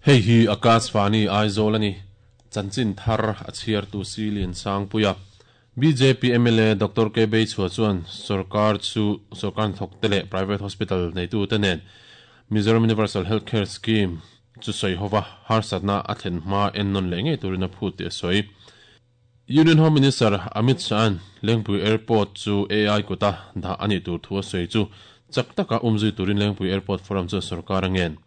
Hei hi Akashvani Aizawl a ni. Chanchin thar a chhiartu Si Liansangpuia. Bjp mla Doctor K Beichhua chuan sorkar chu sorkar hnathawkte leh private hospital neitute nen Mizoram Universal Health Care Scheme chu sawi hova harsatna a thlen hma ennawn leh ngei turin a phut tih a sawi. Union Home Minister Amit Shah-a'n Lengpui Airport chu AI kuta dah a nih tur thu a sawi chu chak taka umzui turin Lengpui Airport Forum chuan sorkar a ngen.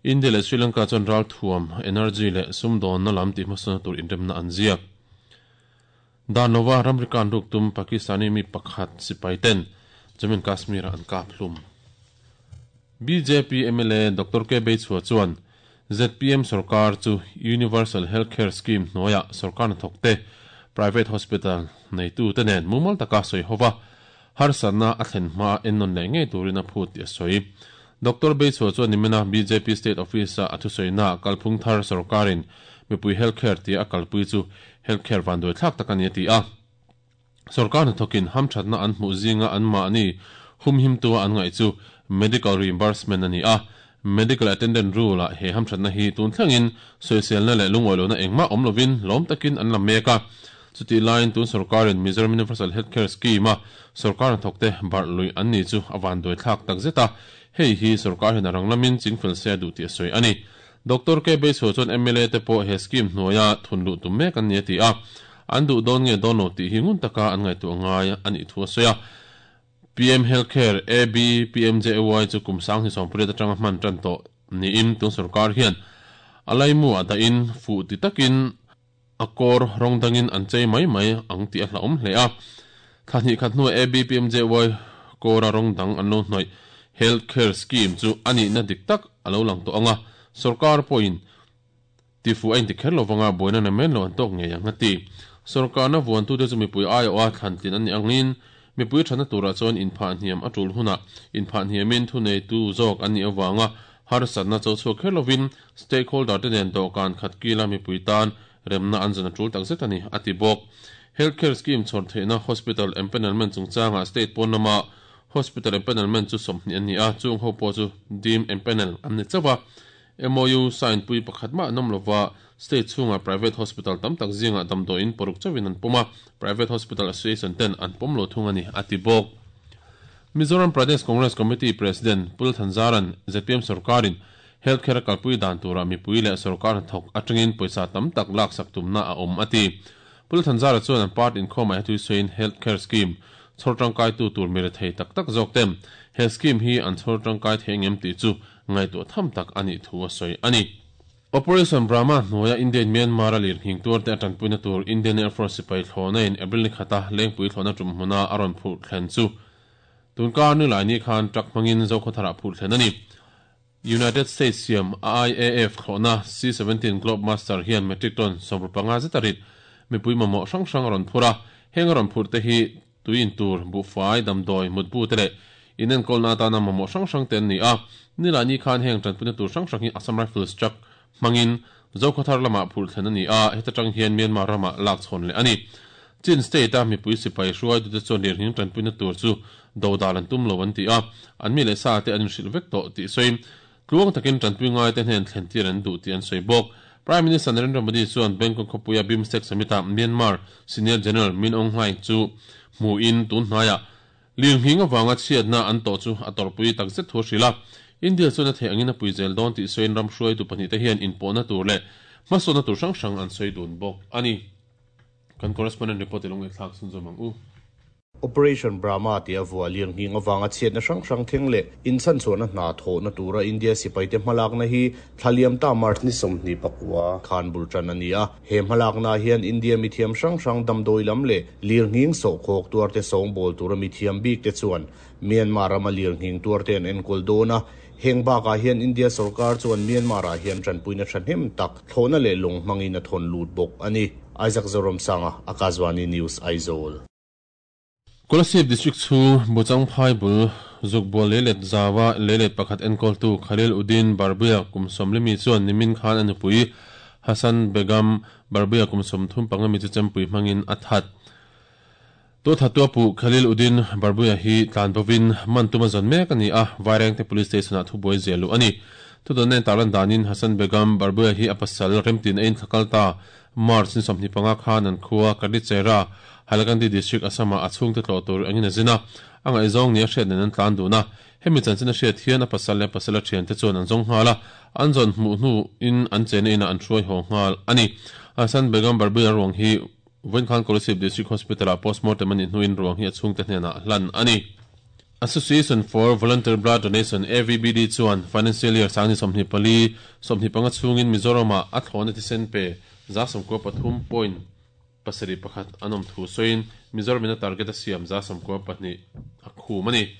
India leh Sri Lanka chuan ralthuam, energy leh sumdawnna lam tihhmasawna tur inremna an ziak. Dan lova ramri kan ruk tum Pakistani mi pakhat sipai ten Jammu and Kashmir-ah an kap hlum. Bjp mla Doctor K Beichhua chuan zpm sorkar chu Universal Health Care Scheme hnuaiah sorkar hnathawkte private hospital neitute nen mumal taka sawi hova harsatna a thlen hma ennawn leh ngei turin a phut tih a sawi. Doctor Beichhua chuan nimina bjp State Office-a a thusawiinaah kalphung thar sorkarin mipui health care tia a kalpui chu health care vanduaithlak tak a ni a ti a. Sorkar hnathawkin hamthatna an hmuh zinga anmahni humhimtua an ngaih chu medical reimbursement a ni a. Medical attendant rule-ah he hamthatna hi tun thlengin sawiselna leh lungawilohna engmah awm lovin lawm takin an la mek a. Chutih laiin tun sorkarin Mizoram Universal Health Care Scheme-a sorkar hnathawkte barh luih an ni chu a vanduaithlak takzet a, hei hi sorkar hian a rang lamin chingfel se a duh tih a sawi a ni. Doctor K Beiso chuan mla te pawh he scheme hnuaia thun luh tum mek an ni a ti a, an duh dawn nge dawn lo tih hi ngun taka an ngaihtuah ngai a nih thu a sawi a. PM Health Care, AB, PMJAY chu kum 2018 atanga hman tan tawh niin tun sorkar hian a laimu ah dahin fuh ti takin a kawr rawng dangin an chei mai mai ang tih a hlauhawm hle a. Thla hnih khat hnuah ABPMJY kawra rawng dang an lo hnawih Health Care Scheme chu a nihna dik tak a lo lang tawh ang a, sorkar pawhin tifuh a inti kher lo vanga buaina na men lo an tawk ngei ang a ti. Sorkarna vuantute chu mipui aiawha thlantlin an nih angin mipui thatna turah chuan inphah hniam a tul hunah inphah hniamin thuneitu zawk an nih avanga Harsatna cho chhuak kher lovin stakeholder te nen dawhkan khat kila mipui tan remna an zawn a tul takzet a ni, a ti bawk. Health Care Scheme chhawr theihna Hospital Empanelment chungchangah state pawn lama Hospital Empanelment chu 20 an ni a, chung ho pawh chu Deem Empanel an ni chauh a. MOU sign pui pakhat mah an awm lova, state chhunga private hospital tam tak zingah damdawiin paruk chauhin an pawm a, Private Hospital Association ten an pawm lo thung a ni, a ti bawk. Mizoram Pradesh Congress Committee President Pu Lalthanzaran zpm sorkarin Health Care a kalpui dan turah mipui leh sorkar hnathawk atangin pawisa tam tak laksak tumna a awm a ti. Pu Lalthanzara chuan an party inkhawmah he thuisawiin Health Care Scheme chhawr tangkaitu tur mi rethei tak tak zawk ten he scheme hi an chhawr tangkai thei angem tih chu ngaihtuah tham tak a nih thu a sawi a ni. Operation Brahma hnuaia Indian Myanmar a lirnghing tuarte a tanpuina tur Indian Air Force sipai thlawhna in April ni khata Lengpui thlawhna tum hmuna a rawn phurh thlen chu tunkar ni lai ni khan truck hmangin Zokhawtharah phurh thlen a ni. United States siam IAF thlawhna C-17 Globemaster hian metric ton 15 zeta rit mipui mamawh hrang hrang a rawn phur a, heng a rawn phurh te hi tui in tur, buhfai, damdawi, mutbu te leh inenkawlna atana mamawh hrang hrang te an ni a. Nilai ni khan heng tanpuina tur hrang hrang hi Assam Rifles truck hmangin Zokhawthar lamah phurh thlen a ni a, heta tang hian Myanmar ramah lak chhawn leh a ni. Chin State-a mipui sipai hruaitute chuan lirnghing tanpuina tur chu dodal an tum lo an ti a, an mi leh sa te an inhrilh vek tawh tih sawiin tluang takin tanpui ngaite hnen thlentir an duh tih an sawi bawk. Prime Minister Narendra Modi chuan Bangkok khawpuia BIMSTEC Summit-ah Myanmar Senior General Min Aung Hlaing chu hmuhin tun hnaiah lirnghing avanga chhiatna an tawh chu a tawrhpui takzet thu a hrilh a. India chuan a theih angin a pui zel dawn tih sawiin ram hruaitu pahnihte hian inpawhna tur leh hmasawnna tur hrang hrang an sawi dun bawk a ni. Kan correspondent report i lo ngaihthlak chhunzawm ang u. Operation Brahma tia vuah lirnghing avanga chhiatna hrang hrang thleng leh inchhanchhuahna hna thawhna tura India sipaite hmalakna hi thla liam ta March ni 24 khan bul tan a ni a. He hmalakna hian India mithiam hrang hrang damdawi lam leh lirnghing sawhkhawk tuarte sawngbawl tura mithiam bikte chuan Myanmar rama lirnghing tuarte an enkawl dawn a. Heng bakah hian India sorkar chuan Myanmar-ah hian tanpuina thahnem tak thlawhna leh lawng hmangin a thawn lut bawk a ni. Isaac Zoramsanga, Akashvani News, Aizawl. Kolasib District chhung Buchangphai bul Zukbual leilet zaua leilet pakhat enkawltu Khalil Uddin Barbuia kum 40 mi chuan nimin khan a nupui Hasan Begum Barbuia kum 35 mi chu chempui hmangin a that. Tu thattu a puh Khalil Uddin Barbuia hi tlan bovin man tum a zawn mek a ni a, Vairengte Police Station-ah thubuai ziah luh a ni. Thudawn nen tarlan danin Hasan Begum Barbuia hi a pasal remtin a inthlakal ta. March ni 25 khan an khua Kadichera, Hailakandi District, Assam-ah a chhungte tlawh tur engin a zin a, a ngaihzawng nia hriat nen an tlan dun a. Hemi chanchin a hriat hian a pasal leh a pasala thiante chuan an zawng nghal a, an zawn hmuh hnuin an chenna inah an hruai haw nghal a ni. Hasan Begum Barbuia ruang hi Vawinkhan Kolasib District Hospital-ah postmortem a nih hnuin ruang hi a chhungte hnenah hlan a ni. Association for Voluntary Blood Donation, AVBD, chuan Financial Year sangni 24, 25 chhungin Mizoram-ah a thlawhna thisen pe 93 point pasarih pakhat an awm thu sawiin Mizoram-in a target a siam 92 a khum a ni.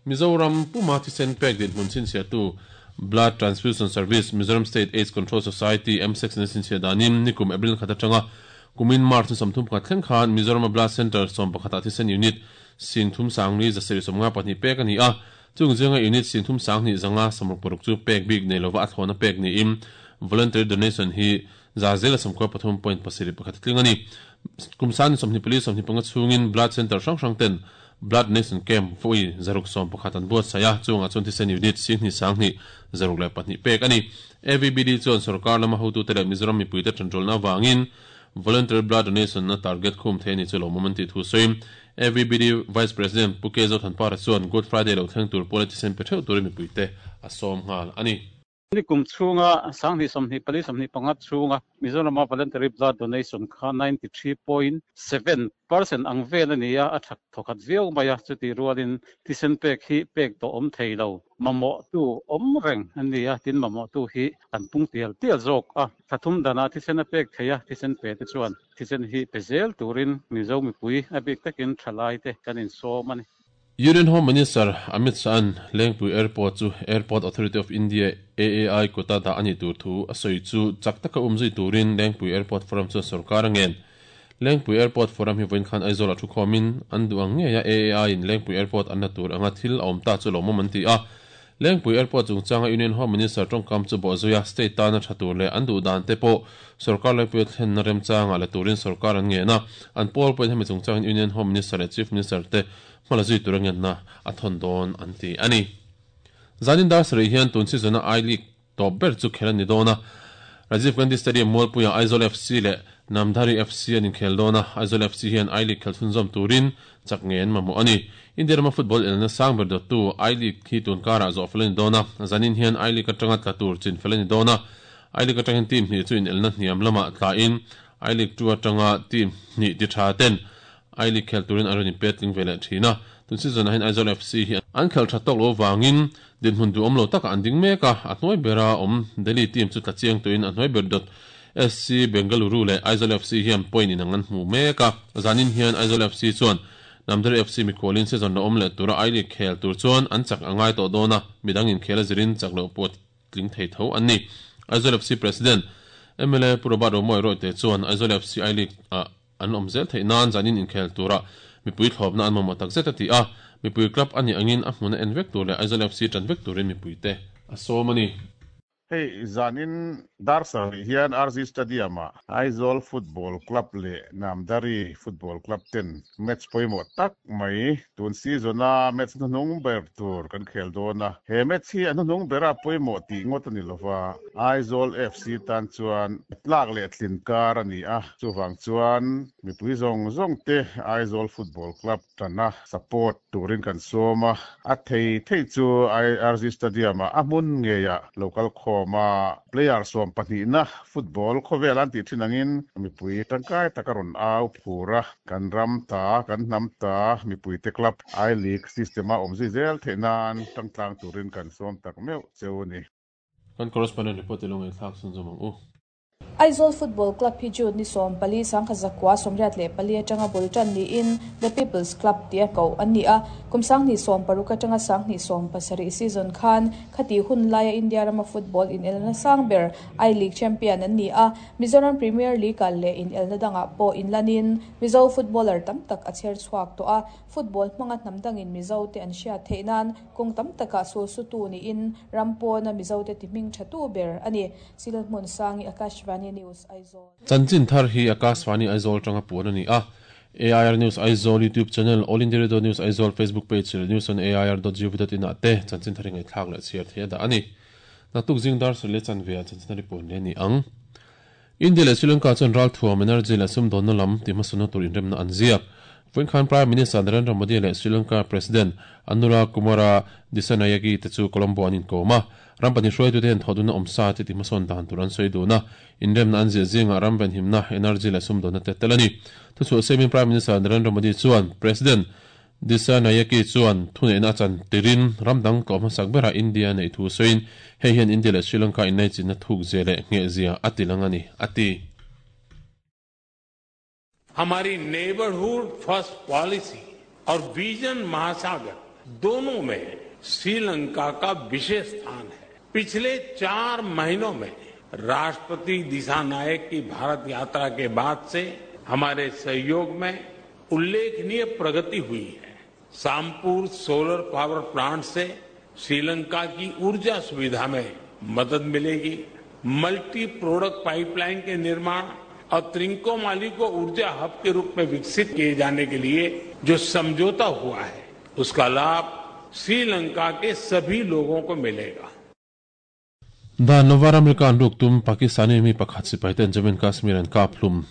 Mizoram puma thisen pek dinhmun chhinchhiahtu Blood Transfusion Service, Mizoram State Aids Control Society, MSACS, in a chhinchhiah danin nikum April khat atanga kumin March ni 31 thleng khan Mizoram-a Blood Centre 11 ah thisen unit Singthum sangli zasarih 52 pek a ni a, chung zinga unit singthum sanghnih zanga 66 chu pek bik nei lova a thlawhna pek niin voluntary donation hi 93.71 a tling a ni. Kum sani 24 25 chhungin blood centre hrang hrang ten blood donation camp vawi 611 an buatsaih a, chungah chuan thisen unit singhnih sanghnih 602 pek a ni. AVBD chuan sorkar lama hotute leh Mizoram mipuite tanrualna avangin Voluntary blood donation na target khum thei a ni chu lawmawm an tih thu sawiin AVBD Vice President Pu K Zothanpara chuan Good Friday lo thleng tur pawla thisen pe theuh turin mipuite a sawm nghal a ni. Nikum chhunga sanghnih 24 25 chhunga Mizorama voluntary blood donation kha 93.7% ang vel a ni a, a that thawkhat viau mai a, chutih rualin thisen pek hi pek tawh awm thei lo. Mamawhtu awm reng a ni a, tin mamawhtu hi an pung tial tial zawk a. Thla thum danah thisen a pek thei a, thisen pe te chuan thisen hi pe zel turin Mizo mipui a bik takin thalai te kan insawm a ni. Union Home Minister Amit Shah-a'n Lengpui Airport chu Airport Authority of India, AAI, kuta dah a nih tur thu a sawi chu chak taka umzui turin Lengpui Airport Forum chuan sorkar a ngen. Lengpui Airport Forum hi vawiin khan Aizawl ah thukhawmin an duh ang ngei a, AAI in Lengpui Airport an la tur anga thil a awm ta chu lawmawm an ti a. Lengpui Airport chungchanga Union Home Minister tawngkam chu bawhzui a, state tana tha tur leh an duh dan te pawh sorkar laipui a thlenna remchangah la turin sorkar an ngen a, an pawl pawhin hemi chungchangin Union Home Minister leh Chief Minister te hma la zui tura ngenna a thawn dawn an ti a ni. Zanin dar sarih hian tun season-a I-League tawp ber chu khel a ni dawn a, Rajiv Gandhi Stadium Mualpuiah Aizawl FC leh Namdhari FC an inkhel dawn a, Aizawl FC hian I-League khel chhunzawm turin chak ngei an mamawh a ni. India rama football elna sang ber dawttu I-League hi tun karah zawh fel a ni dawn a, zanin hian I-League atanga tla tur chin fel a ni dawn a, I-League atangin team hnih chu inelna hniam lamah tlain I-League 2 atanga team hnih ti tha ten I-League khel turin an rawn inpet tling ve leh thin a, tun season ah hian Aizawl FC hi an khelh tha tawk lo avangin dinhmun duhawm lo takah an ding mek a, a hnuai bera awm Delhi team chu tla chiang tuin a hnuai ber dawt SC Bengaluru leh Aizawl FC hian point inang an hmu mek a, zanin hian Aizawl FC chuan Namdhari FC mikhualin season la awm leh tura I-League khel tur chuan an chak a ngai tawh dawn a, midang inkhel a zirin chak loh pawh tling thei tho an ni. Aizawl FC President mla Pu Robert Romawi Rawite chuan Aizawl FC I-League ah An awm zel theih nan zanin inkhel tura mipui thlawpna an mamawh tak zet a ti a, mipui club a nih angin a hmuna en vek tur leh Aizawl FC tan vek turin mipuite a sawm a ni. Hei zanin dar sarih hian RZ Stadium-ah Aizawl Football Club leh Namdhari Football Club ten match pawimawh tak mai tun season-a match hnuhnung ber tur kan khel dawn a. He match hi a hnuhnung bera pawimawh tih ngawt a ni lova, Aizawl FC tan chuan tlak leh tlin kar a ni a. Chuvang chuan mipui zawng zawng te Aizawl Football Club tana support turin kan sawm a, a thei thei chu IRZ Stadium-ah a hmun ngeiah lo kal khawm a, player 12na football khawvel an tih thin angin mipui tangkai tak a rawn au phur a, kan ram ta, kan hnam ta mipuite club I-League system-a awm zui zel theih nan tangtlang turin kan sawm tak meuh cheu a ni. Kan correspondent report i lo ngaihthlak chhunzawm ang u. Aizawl Football Club hi June ni 14, 1984 atanga bul tan niin The People's Club tia koh an ni a. Kum 2016 atanga 2017 season khan khati hun laia India rama football inelna sang ber I-League champion an ni a. Mizoram Premier League-ah leh inelna dangah pawh inlanin Mizo footballer tam tak a chher chhuak tawh a. Football hmanga hnam dangin Mizote an hriat theih nan kawng tam takah sulsutu niin ram pawna Mizote tihming thatu ber a ni. Silhmun Sangi Akashvani News Aizawl. Chanchin thar hi Akashvani Aizawl atanga puan a ni a. AIR News Aizawl YouTube channel, All India Radio News Aizawl Facebook page leh news on air dot gov dot in ah te chanchin thar hi ngaihthlak leh chhiar theih a dah a ni. Naktuk zing dar sarih leh chanve ah chanchin a report leh a ni ang. India leh Sri Lanka chuan ralthuam, energy leh sumdawnna lam tihhmasawnna tur inremna an ziak. Vawiin khan Prime Minister Narendra Modi leh Sri Lanka President Anura Kumara Dissanayake te chu Colombo an inkawm a. Ram pahnih hruaitute hian thawhdunna awmsa te tihhmasawn dan tur an sawi dun a. Inremna an ziah zingah ram venhimna, energy leh sumdawnna te tel a ni. Thuchhuah siamin Prime Minister Narendra Modi chuan President Dissanayake chuan thuneihna a chan tirin ram dang tlawh hmasak berah India a neih thu sawiin hei hian India leh Sri Lanka inlaichinna thuk zia leh ngheh zia a ti lang a ni, a ti. हमारी neighbourhood first policy और vision महासागर दोनों में श्रीलंका का विशेष स्थान है। पिछले 4 महीनों में राष्ट्रपति दिसानायक की भारत यात्रा के बाद से हमारे सहयोग में उल्लेखनीय प्रगति हुई है। सामपुर solar power plant से श्रीलंका की ऊर्जा सुविधा में मदद मिलेगी। Multi product pipeline के निर्माण और त्रिंकोमाली को ऊर्जा हब के रूप में विकसित किए जाने के लिए जो समझौता हुआ है, उसका लाभ श्रीलंका के सभी लोगों को मिलेगा। Dan lova ramri kan ruk tum Pakistani mi pakhat sipai ten Jammu and Kashmir an kap hlum.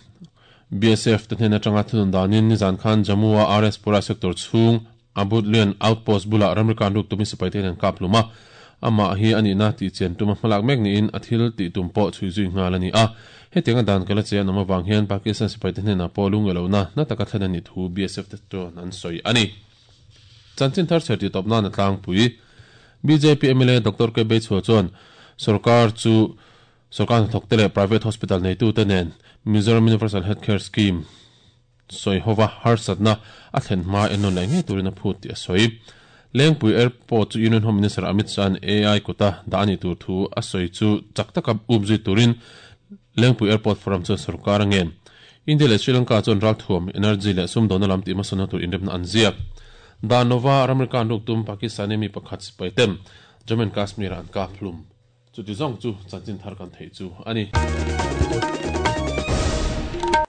BSF te hnen atanga thunun danin nizan khan Jammu a RS Pura sector chhung Abudlian outpost bulah ramri kan ruk tumin sipai ten an kap hlum a. Amah hi a nihna tih chian tuma hmalak mek niin a thil tih tum pawh chhui zui nghal a ni a. Hetianga dan kal a che an awm avang hian Pakistan sipai te hnenah pawh lungngeihlohna na taka thlen a nih thu BSF te chuan an sawi a ni. Chanchin thar chher tih tawp nan a tlangpui. Bjp mla Doctor K Beichhua chuan sorkar chu sorkar hnathawk te leh private hospital neitute nen Mizoram Universal Health Care Scheme sawi hova harsatna a thlen hma ennawn leh ngei turin a phut tih a sawi. Lengpui Airport chu Union Home Minister Amit Shah-a'n AI kuta dah a nih tur thu a sawi chu chak taka up zui turin Lengpui Airport Forum chuan sorkar a ngen. India leh Sri Lanka chuan ralthuam, energy leh sumdawnna lam tihhmasawnna tur inremna an ziak. Dan lova ramri kan ruk tum Pakistani mi pakhat sipai ten Jammu and Kashmir-ah an kap hlum. Chuti zawng chu chanchin thar kan theih chu a ni.